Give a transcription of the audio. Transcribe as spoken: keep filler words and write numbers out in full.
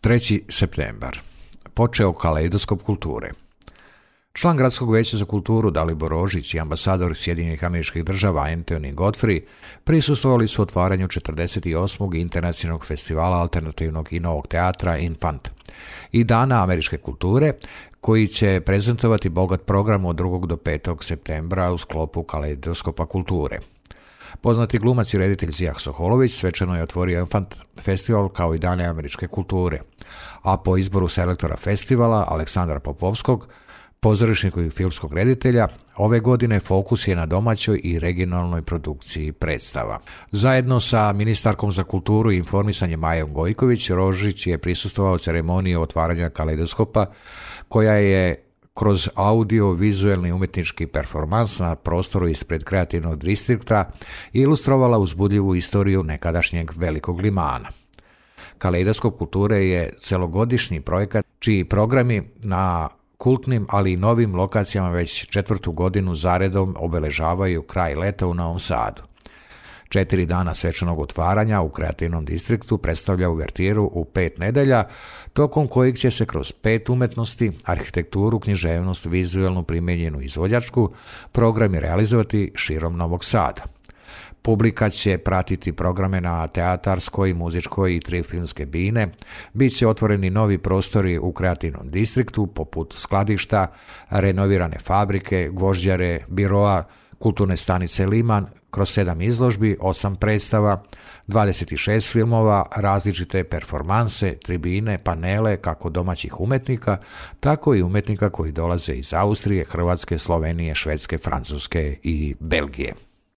treći septembar. Počeo kaleidoskop kulture. Član Gradskog vijeća za kulturu Dalibor Rožić i ambasador Sjedinjenih Američkih Država Anthony Godfrey prisustvovali su otvaranju četrdeset osmog Internacionalnog festivala alternativnog i novog teatra Infant i Dana američke kulture, koji će prezentovati bogat program od drugog do petog septembra u sklopu kaleidoskopa kulture. Poznati glumac i reditelj Zijah Soholović svečano je otvorio Infant festival kao i Dane američke kulture, a po izboru selektora festivala Aleksandra Popovskog, pozorišnog i filmskog reditelja, ove godine fokus je na domaćoj i regionalnoj produkciji predstava. Zajedno sa ministarkom za kulturu i informisanje Majom Gojković, Rožić je prisustvovao ceremoniji otvaranja kaleidoskopa, koja je kroz audio-vizuelni umjetnički performans na prostoru ispred kreativnog distrikta ilustrovala uzbudljivu istoriju nekadašnjeg Velikog Limana. Kaleidoskop kulture je celogodišnji projekat čiji programi na kultnim, ali i novim lokacijama već četvrtu godinu zaredom obeležavaju kraj leta u Novom Sadu. Četiri dana svečanog otvaranja u kreativnom distriktu predstavlja uvertiru u pet nedelja, tokom kojeg će se kroz pet umetnosti, arhitekturu, književnost, vizuelnu primijenjenu izvođačku, programi realizovati širom Novog Sada. Publika će pratiti programe na teatarskoj, muzičkoj i tri filmske bine, bit će otvoreni novi prostori u kreativnom distriktu poput skladišta, renovirane fabrike, gvožđare, biroa, kulturne stanice Liman, kroz sedam izložbi, osam predstava, dvadeset šest filmova, različite performanse, tribine, panele kako domaćih umetnika, tako i umetnika koji dolaze iz Austrije, Hrvatske, Slovenije, Švedske, Francuske i Belgije.